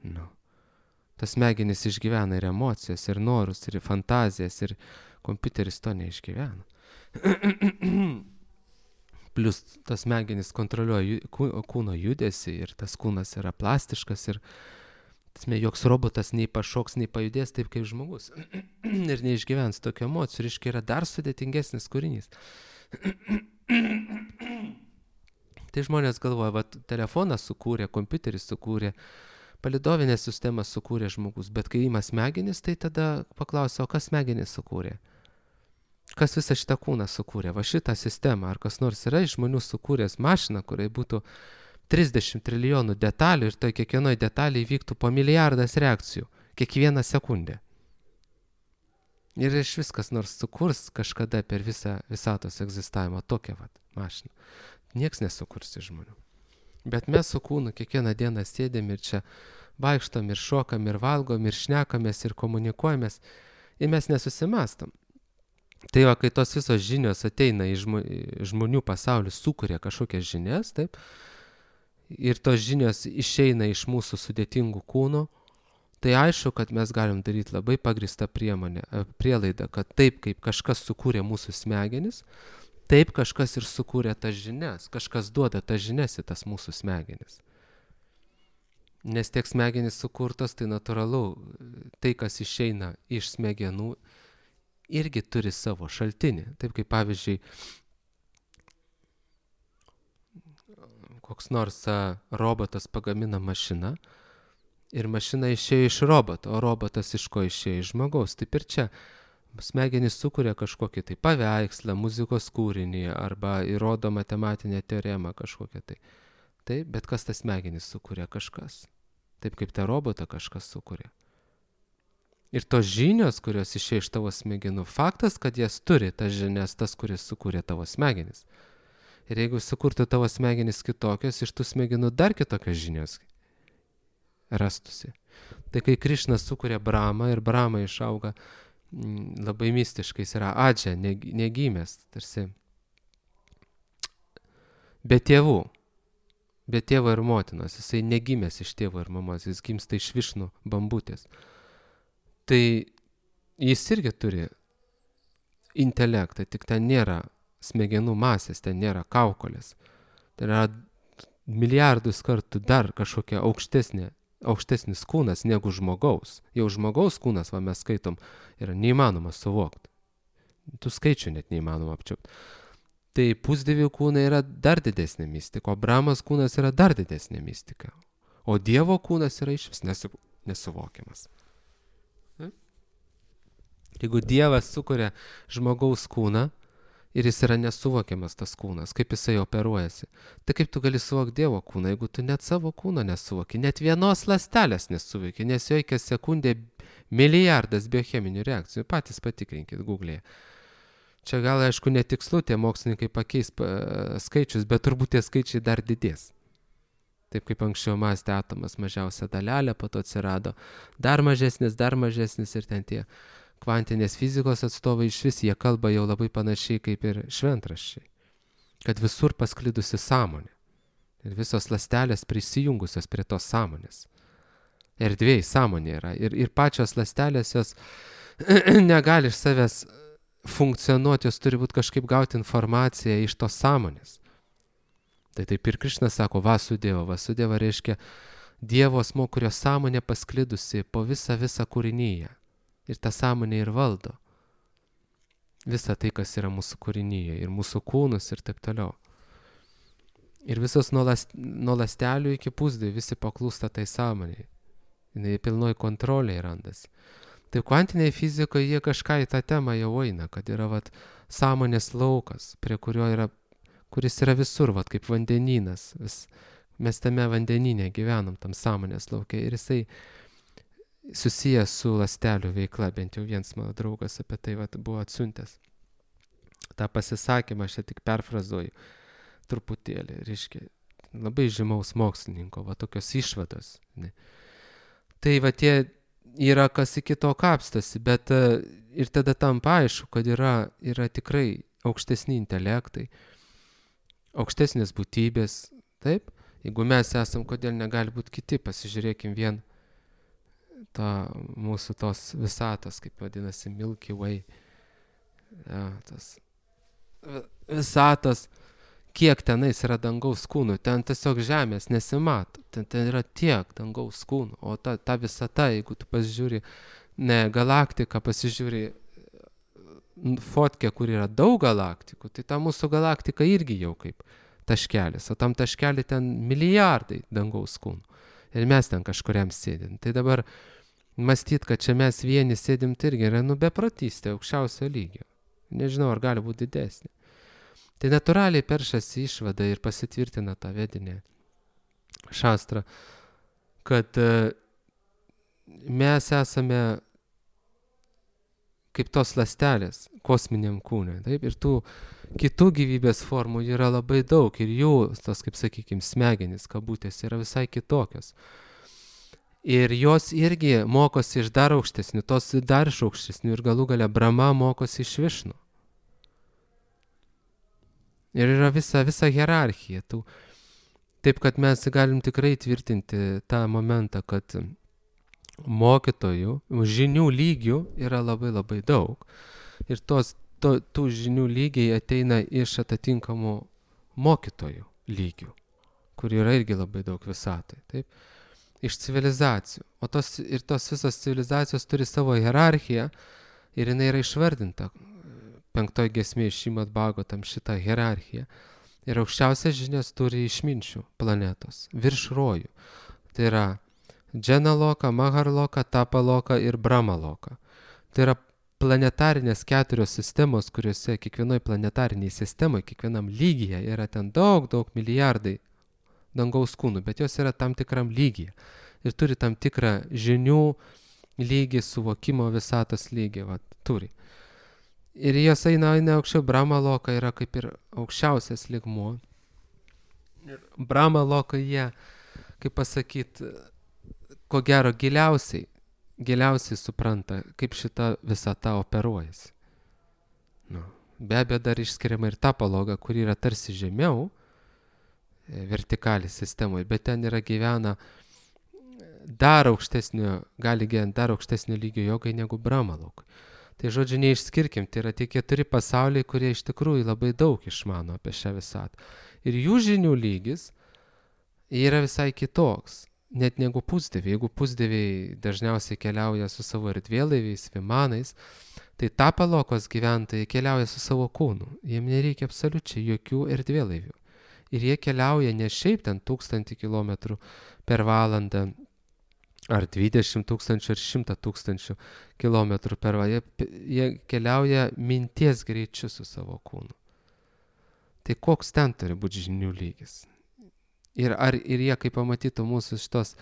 Nu. Tas smegenis išgyvena ir emocijas, ir norus, ir fantazijas, ir kompiuteris to neišgyvena. Plius tas smegenis kontroliuoja kūno judesį, ir tas kūnas yra plastiškas, ir tasme, joks robotas nei pašoks, nei pajudės taip kaip žmogus. Ir neišgyvens tokio emocijų, ir iškai yra dar sudėtingesnis kūrinys. Tai žmonės galvoja, va, telefoną sukūrė, kompiuteris sukūrė, palidovinę sistemą sukūrė žmogus, bet kai ima smegenis, tai tada paklausia, o kas smegenis sukūrė? Kas visą šitą kūną sukūrė? Va šitą sistemą, ar kas nors yra iš žmonių sukūręs mašiną, kuriai būtų trisdešimt trilijonų detalių ir tai kiekvienoj detalėje vyktų po milijardas reakcijų, kiekvieną sekundę. Ir iš viskas nors sukurs kažkada per visą visatos egzistavimą tokią vat mašiną. Nieks nesukurs iš žmonių. Bet mes su kūnu kiekvieną dieną sėdėm ir čia vaikštom ir šokam ir valgom ir šnekamės ir komunikuojamės ir mes nesusimastom. Tai va, kai tos visos žinios ateina į žmonių pasaulį, sukuria kažkokias žinias, taip, ir tos žinios išeina iš mūsų sudėtingų kūnų, tai aišku, kad mes galim daryti labai pagrįstą priemonę, prielaidą, kad taip, kaip kažkas sukūrė mūsų smegenis, taip kažkas ir sukūrė tas žinias, kažkas duoda tas žinias į tas mūsų smegenis. Nes tiek smegenys sukurtos, tai natūralu, tai, kas išeina iš smegenų, irgi turi savo šaltinį. Taip kaip pavyzdžiui, koks nors robotas pagamina mašiną ir mašina išėjo iš roboto, o robotas iš ko išėjo iš žmogaus. Taip ir čia smegenys sukuria kažkokį tai paveikslą, muzikos kūrinį arba įrodo matematinę teoremą kažkokią tai. Taip, bet kas tas smegenys sukuria? Kažkas. Taip kaip tą robotą kažkas sukuria. Ir tos žinios, kurios išėjo iš tavo smegenų, faktas, kad jas turi tas žinias, tas, kuris sukūrė tavo smegenis. Ir jeigu sukurtų tavo smegenis kitokios, iš tų smegenų dar kitokios žinios rastusi. Tai kai Krišnas sukuria Bramą ir Brama išauga m, labai mistiškai, jis yra adžia, negimęs, tarsi be tėvų, be tėvo ir motinos, jisai negimęs iš tėvo ir mamos, jis gimsta iš Višnų bambutės. Tai jis irgi turi intelektą, tik ten nėra smegenų masės, ten nėra kaukolės. Tai yra milijardus kartų dar kažkokia aukštesnė, aukštesnis kūnas negu žmogaus. Jau žmogaus kūnas, va mes skaitom, yra neįmanoma suvokti. Tų skaičių net neįmanoma apčiupti. Tai pusdievių kūnai yra dar didesnė mistika, o Brahmas kūnas yra dar didesnė mistika. O Dievo kūnas yra išvis nesu, nesuvokiamas. Jeigu Dievas sukuria žmogaus kūną, ir jis yra nesuvokiamas tas kūnas, kaip jisai operuojasi. Tai kaip tu gali suvokti Dievo kūną, jeigu tu net savo kūno nesuvoki, net vienos ląstelės nesuvoki, nes jokia sekundė milijardas biocheminių reakcijų. Patys patikrinkit Google'e. Čia gal, aišku, netikslu tie mokslininkai pakeis skaičius, bet turbūt tie skaičiai dar didės. Taip kaip anksčiau mąstė atomas, mažiausia dalelė, po to atsirado dar mažesnis, dar mažesnis ir ten tie kvantinės fizikos atstovai iš vis, jie kalba jau labai panašiai kaip ir šventraščiai, kad visur pasklidusi sąmonė ir visos ląstelės prisijungusios prie tos sąmonės. Erdvėj sąmonė yra ir, ir pačios ląstelės jos negali iš savęs funkcionuoti, jos turi būti kažkaip gauti informaciją iš tos sąmonės. Tai taip ir Krišnas sako Vasudeva. Vasudeva reiškia Dievo asmuo, kurio sąmonė pasklidusi po visą visą kūrinyje. Ir tą sąmonę ir valdo. Visą tai, kas yra mūsų kūrinyje, ir mūsų kūnus ir taip toliau. Ir visos nuo, last, nuo lastelių iki pusdievių visi paklūsta tai sąmonėje. Jis pilnoj kontrolėje randasi. Tai kvantiniai fizikoje jie kažką į tą temą jau eina, kad yra vat, sąmonės laukas, prie kurio yra, kuris yra visur, vat, kaip vandenynas. Vis, mes tame vandenyne gyvenam, tam sąmonės lauke. Ir jisai susijęs su ląstelių veikla, bent jau vienas mano draugas apie tai vat, buvo atsiuntęs. tą pasisakymą aš čia tik perfrazuoju truputėlį, reiškia, labai žymaus mokslininko, va tokios išvados. Ne. Tai va tie yra kas iki to kapstasi, bet ir tada tampa aišku, kad yra, yra tikrai aukštesni intelektai, aukštesnės būtybės, taip? Jeigu mes esam, kodėl negali būti kiti, pasižiūrėkim vien tą mūsų tos visatos, kaip vadinasi, Milky Way, ja, tas visatos, kiek tenais yra dangaus kūnų, ten tiesiog žemės nesimato, ten, ten yra tiek dangaus kūnų, o ta, ta visata, jeigu tu pasižiūri, ne galaktiką, pasižiūri fotkę, kur yra daug galaktikų, tai ta mūsų galaktika irgi jau kaip taškelis, o tam taškelį ten milijardai dangaus kūnų. Ir mes ten kažkuriam sėdim. Tai dabar mąstyt, kad čia mes vieni sėdim, tai irgi yra nu beprotystė aukščiausio lygio. Nežinau, ar gali būti didesnė. Tai natūraliai peršasi išvada ir pasitvirtina tą vedinę šastrą, kad mes esame kaip tos ląstelės kosminiam kūne. Taip? Ir tų kitų gyvybės formų yra labai daug ir jų, tos, kaip sakykime, smegenys, kabutės, yra visai kitokios. Ir jos irgi mokosi iš dar aukštesnių, tos dar iš aukštesnių ir galų gale Brahma mokosi iš Višnų. Ir yra visa, visa hierarchija. Tų. Taip, kad mes galim tikrai tvirtinti tą momentą, kad mokytojų, žinių lygių yra labai labai daug. Ir tos, to, tų žinių lygiai ateina iš atitinkamų mokytojų lygių, kur yra irgi labai daug visatai. Taip? Iš civilizacijų. O tos, ir tos visos civilizacijos turi savo hierarchiją ir jinai yra išvardinta penktoj giesmėje Šrimad Bhagavatam šitą hierarchiją. Ir aukščiausias žinias turi išminčių planetos, virš rojų. Tai yra Dženaloka, Maharloka, Tapaloka ir Brahmaloka. Tai yra planetarinės keturios sistemos, kuriuose kiekvienoj planetariniai sistemoje, kiekvienam lygyje yra ten daug, daug milijardai dangaus kūnų, bet jos yra tam tikram lygyje. Ir turi tam tikrą žinių lygį, suvokimo visatos lygį, va, turi. Ir jos eina, eina aukščiau, Brahmaloka yra kaip ir aukščiausias lygmuo. Ir Brahmaloka jie, kaip pasakyti, ko gero giliausiai, giliausiai supranta, kaip šita visata operuojasi. Nu, be abejo, dar išskiriama ir Tapaloga, kuri yra tarsi žemiau, vertikaliai sistemoje, bet ten yra gyvena dar aukštesnio, gali gyventi dar aukštesnio lygio jogai negu Brahmaloka. Tai žodžiu, neišskirkim, tai yra tie keturi pasauliai, kurie iš tikrųjų labai daug išmano apie šią visatą. Ir jų žinių lygis yra visai kitoks, net negu pusdieviai. Jeigu pusdieviai dažniausiai keliauja su savo erdvėlaiviais, vimanais, tai Tapalokos gyventojai keliauja su savo kūnu. Jiems nereikia absoliučiai jokių erdvėlaivių. Ir jie keliauja ne šiaip ten tūkstantį kilometrų per valandą, ar dvidešimt tūkstančių, ar šimtą tūkstančių kilometrų per valandą. Jie, jie keliauja minties greičiu su savo kūnu. Tai koks ten turi būti žinių lygis? Ir, ar, ir jie, kaip pamatytų mūsų šitos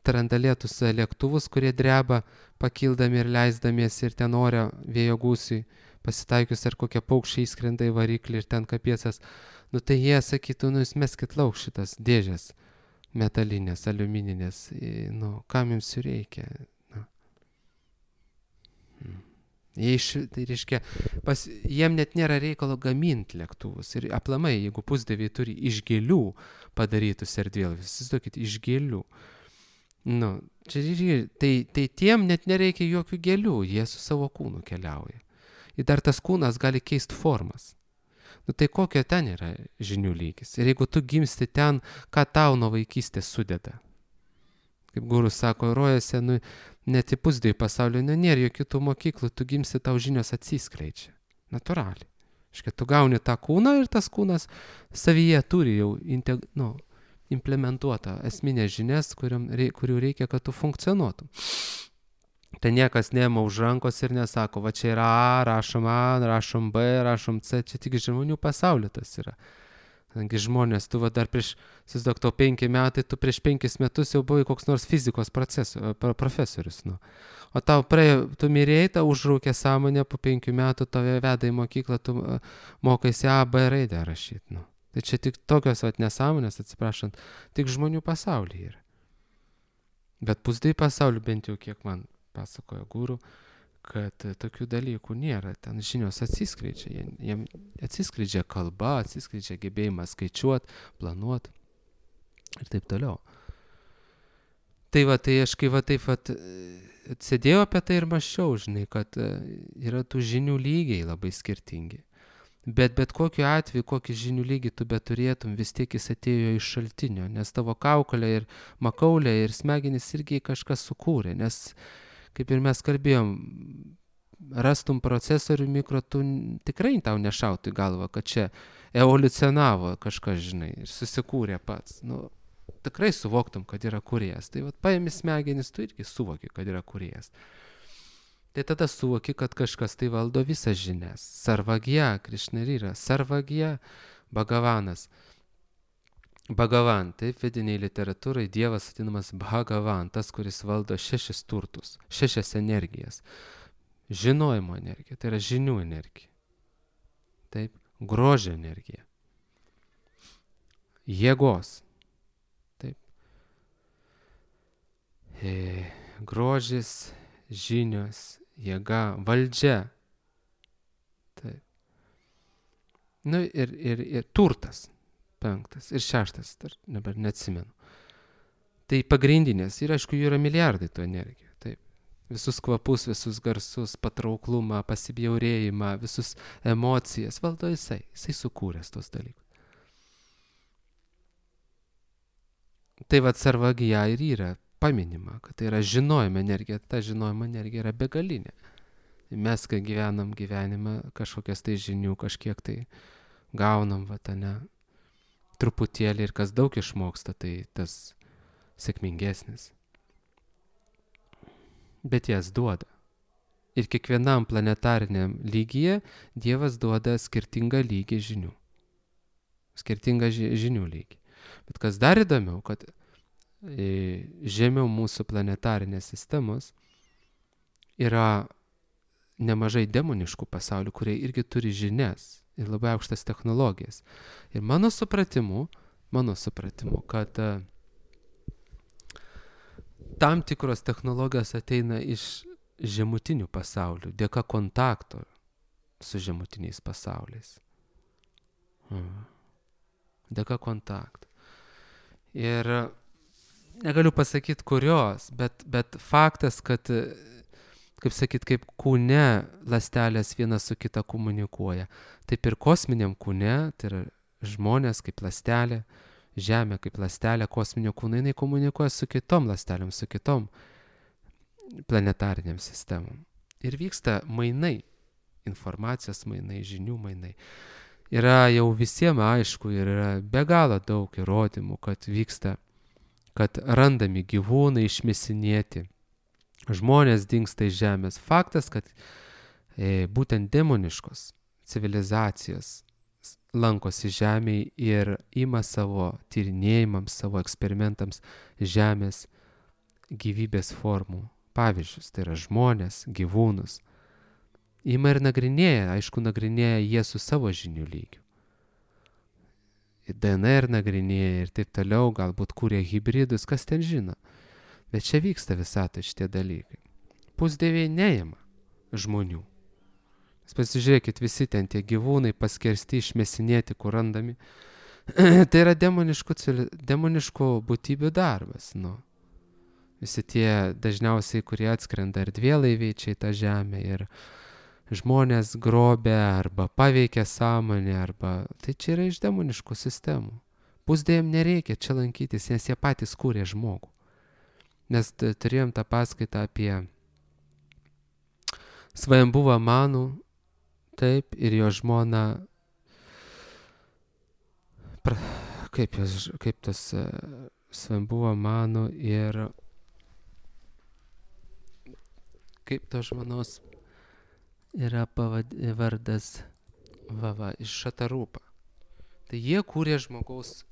trandalėtus lėktuvus, kurie dreba, pakildami ir leisdamiesi ir ten ore vėjo gūsiui pasitaikius, ar kokie paukščiai įskrenda į variklį ir ten kapiecas, nu tai jie sakytų, nu jūs meskit lauk šitas dėžės metalinės, aliumininės, nu, kam jums jų reikia? Nu. Jie iš, tai reiškia, pas, jiem net nėra reikalo gaminti lėktuvus. Ir aplamai, jeigu pusdieviai turi iš gėlių padarytus erdvėlaivius, įsivaizduokit, iš gėlių. Nu, čia, tai, tai tiem net nereikia jokių gėlių, jie su savo kūnu keliauja. Ir dar tas kūnas gali keisti formas. Nu tai kokio ten yra žinių lygis? Ir jeigu tu gimsti ten, ką tau nuo vaikystės sudeda? Kaip gurus sako, rojose, nu, net į pusdievių pasaulio, nu, nėra jokių tų mokyklų, tu gimsti, tau žinios atsiskleidžia. Natūraliai. Iškia, tu gauni tą kūną ir tas kūnas savyje turi jau integ, nu, implementuotą esminės žinias, kuriam, kurių reikia, kad tu funkcionuotum. Tai niekas neima už rankos ir nesako, va čia yra A, rašom A, rašom B, rašom C, čia tik žmonių pasaulio tas yra. Kadangi žmonės, tu va dar prieš, susidok, tau penki metai, tu prieš penkis metus jau buvai koks nors fizikos procesu, profesorius. Nu. O tau praėjo, tu mirėjai, tau užraukė sąmonę, po penkių metų tave veda į mokyklą, tu mokaisi A, B raidę rašyti. Nu. Tai čia tik tokios vat nesąmonės, atsiprašant, tik žmonių pasaulyje yra. Bet pusdievių pasaulyje bent jau kiek man pasakojo guru, kad tokių dalykų nėra, ten žinios atsiskleidžia, jiem atsiskleidžia kalba, atsiskleidžia gebėjimas skaičiuoti, planuoti ir taip toliau. Tai va, tai aš kai va taip va sėdėjau apie tai ir mąsčiau, žinai, kad yra tų žinių lygiai labai skirtingi. Bet bet kokiu atveju, kokį žinių lygį tu beturėtum, vis tiek jis atėjo iš šaltinio, nes tavo kaukolė ir makaulė ir smegenys irgi kažkas sukūrė, nes kaip ir mes kalbėjom, rastum procesorių mikro, tu tikrai tau nešautų į galvą, kad čia evoliucionavo kažkas, žinai, ir susikūrė pats. Nu, tikrai suvoktum, kad yra kūrėjas. Tai vat paimi smegenis, tu irgi suvoki, kad yra kūrėjas. Tai tada suvoki, kad kažkas tai valdo visas žinias. Sarvagya, Krišna ir yra. Sarvagya, Bhagavanas. Bhagavan, taip vidiniai literatūrai Dievas vadinamas Bhagavan, tas, kuris valdo šešis turtus, šešias energijas. Žinojimo energija, tai yra žinių energija. Taip, grožio energija. Jėgos. Taip. E, grožis, žinios, jėga, valdžia. Taip. Nu ir, ir, ir turtas. Penktas ir šeštas, dar dabar neatsimenu. Tai pagrindinės ir aišku, jų yra milijardai tų energijų. Tai Visus kvapus, visus garsus, patrauklumą, pasibjaurėjimą, visus emocijas valdo jisai. Jisai sukūręs tos dalykus. Tai vat sarvagija ir yra paminima, kad tai yra žinojimo energija. Ta žinojimo energija yra begalinė. Mes, kai gyvenam gyvenimą, kažkokias tai žinių, kažkiek tai gaunam, va, ne, truputėlį ir kas daug išmoksta, tai tas sėkmingesnis. Bet jas duoda. Ir kiekvienam planetariniam lygyje Dievas duoda skirtingą lygį žinių. Skirtingą ži- žinių lygį. Bet kas dar įdomiau, kad e, žemiau mūsų planetarinės sistemos yra nemažai demoniškų pasaulių, kurie irgi turi žinias ir labai aukštas technologijas. Ir mano supratimu, mano supratimu, kad a, tam tikros technologijos ateina iš žemutinių pasaulių, dėka kontakto su žemutiniais pasauliais. Hmm. Dėka kontakto. Ir negaliu pasakyti kurios, bet, bet faktas, kad kaip sakyt, kaip kūne ląstelės viena su kita komunikuoja. Taip ir kosminiam kūne, tai yra žmonės kaip ląstelė, Žemė kaip ląstelė, kosminio kūno, jinai komunikuoja su kitom ląstelėm, su kitom planetariniam sistemom. Ir vyksta mainai, informacijos mainai, žinių mainai. Yra jau visiems aišku ir yra be galo daug įrodymų, kad vyksta, kad randami gyvūnai išmesinėti. Žmonės dingsta iš Žemės. Faktas, kad e, būtent demoniškos civilizacijos lankosi Žemėje ir ima savo tyrinėjimams, savo eksperimentams Žemės gyvybės formų pavyzdžius. Tai yra žmonės, gyvūnus. Ima ir nagrinėja, aišku, nagrinėja jie su savo žinių lygiu. D N R nagrinėja ir taip toliau, galbūt kūrė hybridus, kas ten žino. Bet čia vyksta visatoje šitie dalykai. Pusdieviai neima žmonių. Jūs pasižiūrėkit, visi ten tie gyvūnai paskersti, išmesinėti, kur randami. Tai yra demoniškų, demoniškų būtybių darbas. Nu. Visi tie dažniausiai, kurie atskrenda erdvėlaiviai čia į tą žemę ir žmonės grobia arba paveikia sąmonę, arba tai čia yra iš demoniškų sistemų. Pusdieviam nereikia čia lankytis, nes jie patys kūrė žmogų. Nes turėjom tą paskaitą apie Svajambuvą Manų, taip, ir jo žmona, pra, kaip, jos, kaip tas uh, Svajambuvą Manų ir kaip tos žmonos yra pavad, vardas va, va, iš Šatarūpa. Tai jie kūrė žmogaus,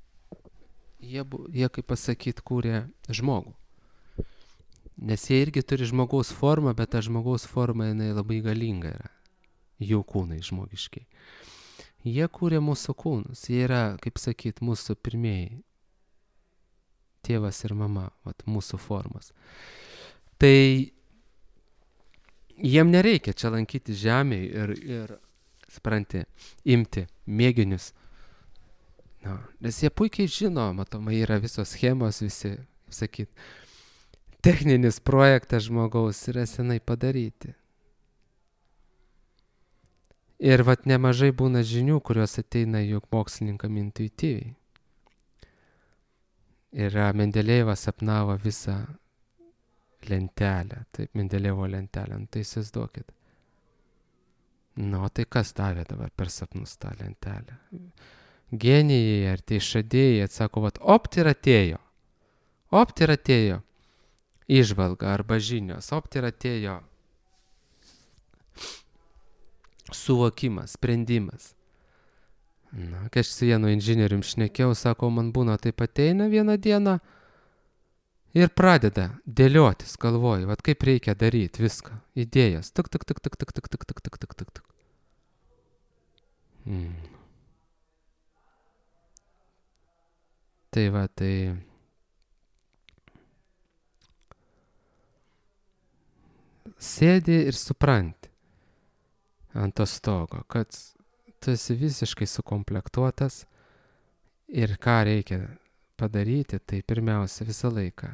jie, jie kaip pasakyt, kūrė žmogų. Nes jie irgi turi žmogaus formą, bet ta žmogaus forma jinai labai galinga yra. Jų kūnai žmogiškiai. Jie kūrė mūsų kūnus. Jie yra, kaip sakyt, mūsų pirmieji. Tėvas ir mama, vat, mūsų formos. Tai jiem nereikia čia lankyti žemėje ir, ir supranti, imti mėginius. No, nes jie puikiai žino, matomai yra visos schemos, visi, kaip sakyt, techninis projektas žmogaus yra senai padaryti. Ir vat nemažai būna žinių, kurios ateina juk mokslininkam intuityviai. Ir Mendelejevas sapnavo visą lentelę, taip, Mendelejevo lentelę, nu, tai įsivaizduokit. Nu, tai kas davė dabar per sapnus tą lentelę? Genijai ar tai išradėjai atsako, vat, opt ir atėjo. Opt ir atėjo. Įžvalga arba žinios, opt ir atėjo suvokimas, sprendimas. Na, kai aš su vienu inžinierium šnekėjau, sako, man būna taip ateina vieną dieną ir pradeda dėliotis, galvoju, vat kaip reikia daryti viską, idėjas, tik, tik, tik, tik, tik, tik, tik, tik, tik, tik, tik, tik. Hmm. Tai va, tai sėdi ir supranti ant to stogo, kad tu esi visiškai sukomplektuotas ir ką reikia padaryti, tai pirmiausia visą laiką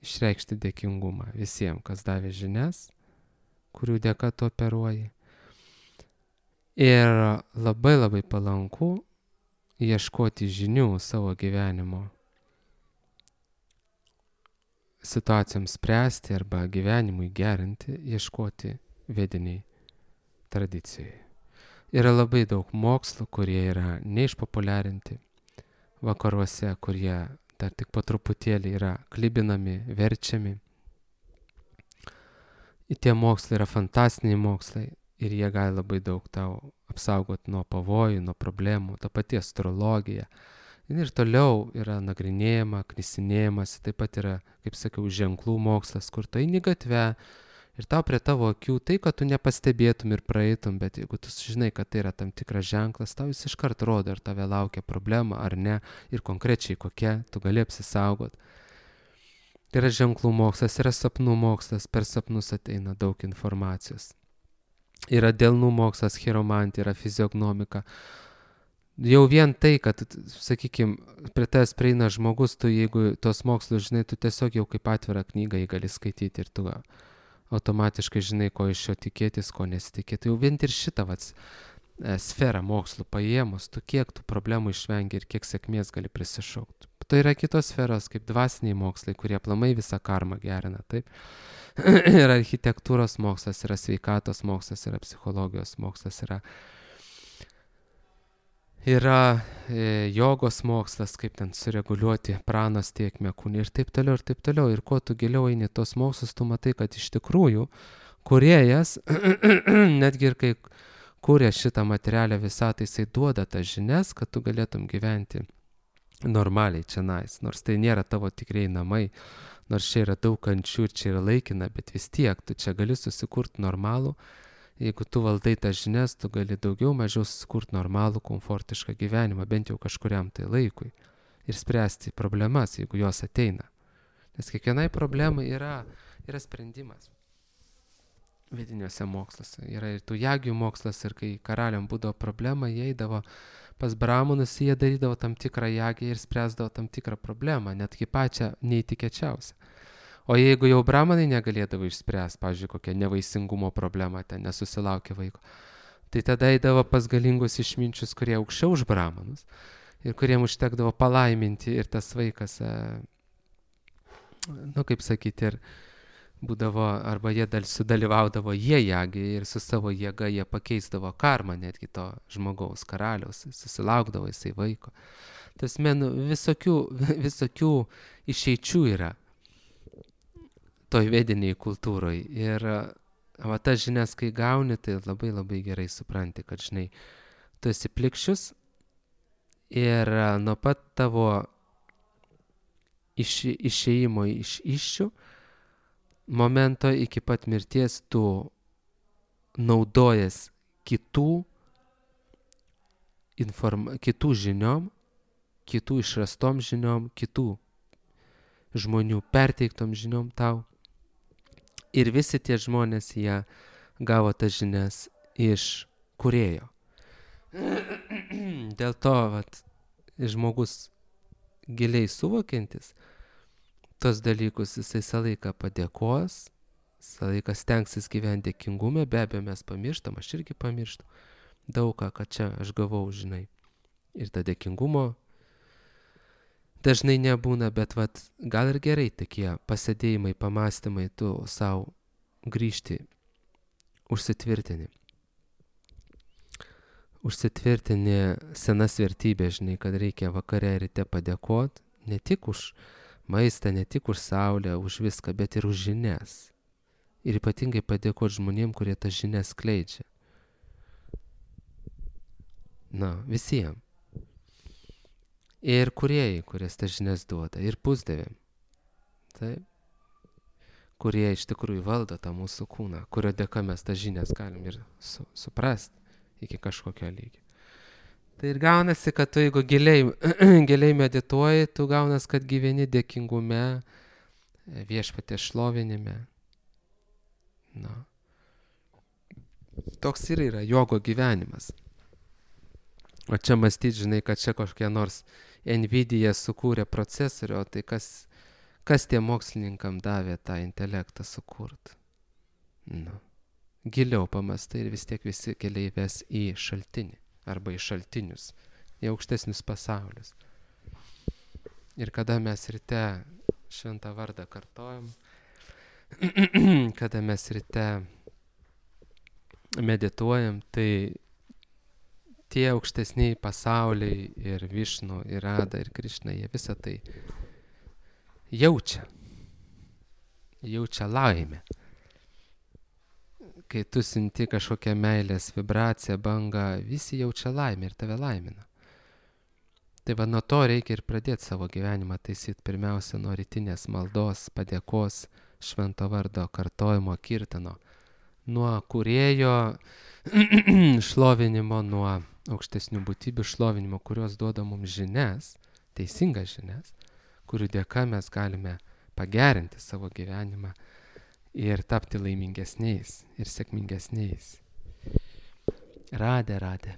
išreikšti dėkingumą visiems, kas davė žinias, kurių dėka tu operuoji. Ir labai labai palanku ieškoti žinių savo gyvenimo situacijoms spręsti arba gyvenimui gerinti, ieškoti vediniai tradicijai. Yra labai daug mokslų, kurie yra neišpopuliarinti vakaruose, kurie dar tik po truputėlį yra klibinami, verčiami. Ir tie mokslai yra fantastiniai mokslai ir jie gali labai daug tau apsaugoti nuo pavojų, nuo problemų, ta pati astrologija. Ir toliau yra nagrinėjama, knisinėjimas, taip pat yra, kaip sakiau, ženklų mokslas, kur tu eini gatve ir tau prie tavo akių tai, kad tu nepastebėtum ir praeitum, bet jeigu tu žinai, kad tai yra tam tikras ženklas, tau jis iškart rodo, ar tave laukia problema ar ne, ir konkrečiai kokia, tu gali apsisaugot. Tai yra ženklų mokslas, yra sapnų mokslas, per sapnus ateina daug informacijos. Yra delnų mokslas, chiromantija, yra fiziognomika. Jau vien tai, kad, sakykime, prie tavęs prieina žmogus, tu jeigu tos mokslus žinai, tu tiesiog jau kaip atvirą knygą jį gali skaityti ir tu automatiškai žinai, ko iš jo tikėtis, ko nesitikėti. Jau vien ir šitą vats, e, sferą mokslų paėmus, tu kiek tų problemų išvengi ir kiek sėkmės gali prisišaukti. Tai yra kitos sferos, kaip dvasiniai mokslai, kurie aplamai visą karmą gerina, taip. Yra architektūros mokslas, yra sveikatos mokslas, yra psichologijos mokslas, yra Yra e, jogos mokslas, kaip ten sureguliuoti pranos tėkmę kūne ir taip toliau, ir taip toliau. Ir kuo tu giliau eini tos mokslus, tu matai, kad iš tikrųjų kūrėjas, netgi ir kai kūrė šitą materialią visatą, jisai duoda tas žinias, kad tu galėtum gyventi normaliai čionais. Nors tai nėra tavo tikrai namai, nors čia yra daug kančių ir čia yra laikina, bet vis tiek tu čia gali susikurti normalų. Jeigu tu valdai tas žinias, tu gali daugiau mažiau susikurti normalų, komfortišką gyvenimą, bent jau kažkuriam tai laikui. Ir spręsti problemas, jeigu jos ateina. Nes kiekvienai problemai yra, yra sprendimas. Vidiniuose moksluose. Yra ir tų jagių mokslas, ir kai karaliam būdavo problema, jie eidavo pas bramonus, jie darydavo tam tikrą jagį ir spręsdavo tam tikrą problemą, netgi pačią neįtikėčiausią. O jeigu jau bramonai negalėdavo išspręsti, pavyzdžiui, kokią nevaisingumo problemą, ten nesusilaukė vaiko, tai tada eidavo pas galingus išminčius, kurie aukščiau už bramonus ir kuriem užtekdavo palaiminti ir tas vaikas, nu kaip sakyti, ir būdavo, arba jie dal, sudalyvaudavo jie jagį ir su savo jėga jie pakeisdavo karmą netgi to žmogaus karaliaus, susilaukdavo jisai vaiko. Tas menų visokių, visokių išeičių yra toj vediniai kultūroj. Ir va tas žinias, kai gauni, tai labai labai gerai supranti, kad žinai, tu esi plikščius ir nuo pat tavo iš, išėjimo iš iššių momento iki pat mirties tu naudojas kitų, inform, kitų žiniom, kitų išrastom žiniom, kitų žmonių perteiktom žiniom tau. Ir visi tie žmonės, jie gavo tas žinias iš kūrėjo. Dėl to, vat, žmogus giliai suvokiantis tos dalykus, jisai visą laiką padėkos, visą laiką stengsis gyventi dėkingume, be abejo mes pamirštam, aš irgi pamirštu daug ką, kad čia aš gavau, žinai. Ir ta dėkingumo dažnai nebūna, bet vat, gal ir gerai tokie pasėdėjimai, pamastymai, tu savo grįžti, užsitvirtini. Užsitvirtini senas vertybės, žinai, kad reikia vakare ryte padėkoti, ne tik už maistą, ne tik už saulę, už viską, bet ir už žinias. Ir ypatingai padėkoti žmonėm, kurie tas žinias skleidžia. Na, visiems. Ir kūrėjai, kurias tas žinias duoda, ir pusdėvėm. Taip. Kurie iš tikrųjų valdo tą mūsų kūną, kurio dėka mes tas žinias galim ir su, suprasti iki kažkokio lygio. Tai ir gaunasi, kad tu jeigu giliai, giliai medituoji, tu gaunas, kad gyveni dėkingume, viešpaties šlovinime. Na. Toks ir yra jogo gyvenimas. O čia mąstyti, žinai, kad čia kažkokia nors Nvidia sukūrė procesorių, o tai kas, Kas tie mokslininkam davė tą intelektą sukurt? Nu, giliau pamastai ir vis tiek visi keliai ves į šaltinį arba į šaltinius, į aukštesnius pasaulius. Ir kada mes ryte šventą vardą kartojam, kada mes ryte medituojam, tai tie aukštesniai pasauliai ir Višnu, ir Rada, ir Krišna, jie visą tai jaučia. Jaučia laimę. Kai tu sinti kažkokią meilės vibraciją, bangą, visi jaučia laimę ir tave laimina. Tai va nuo to reikia ir pradėti savo gyvenimą taisyti pirmiausia nuo rytinės maldos, padėkos, švento vardo kartojimo, kirtano, nuo kūrėjo šlovinimo, nuo aukštesnių būtybių šlovinimo, kurios duoda mums žinias, teisingas žinias, kurių dėka mes galime pagerinti savo gyvenimą ir tapti laimingesniais ir sėkmingesniais. Radė, radė.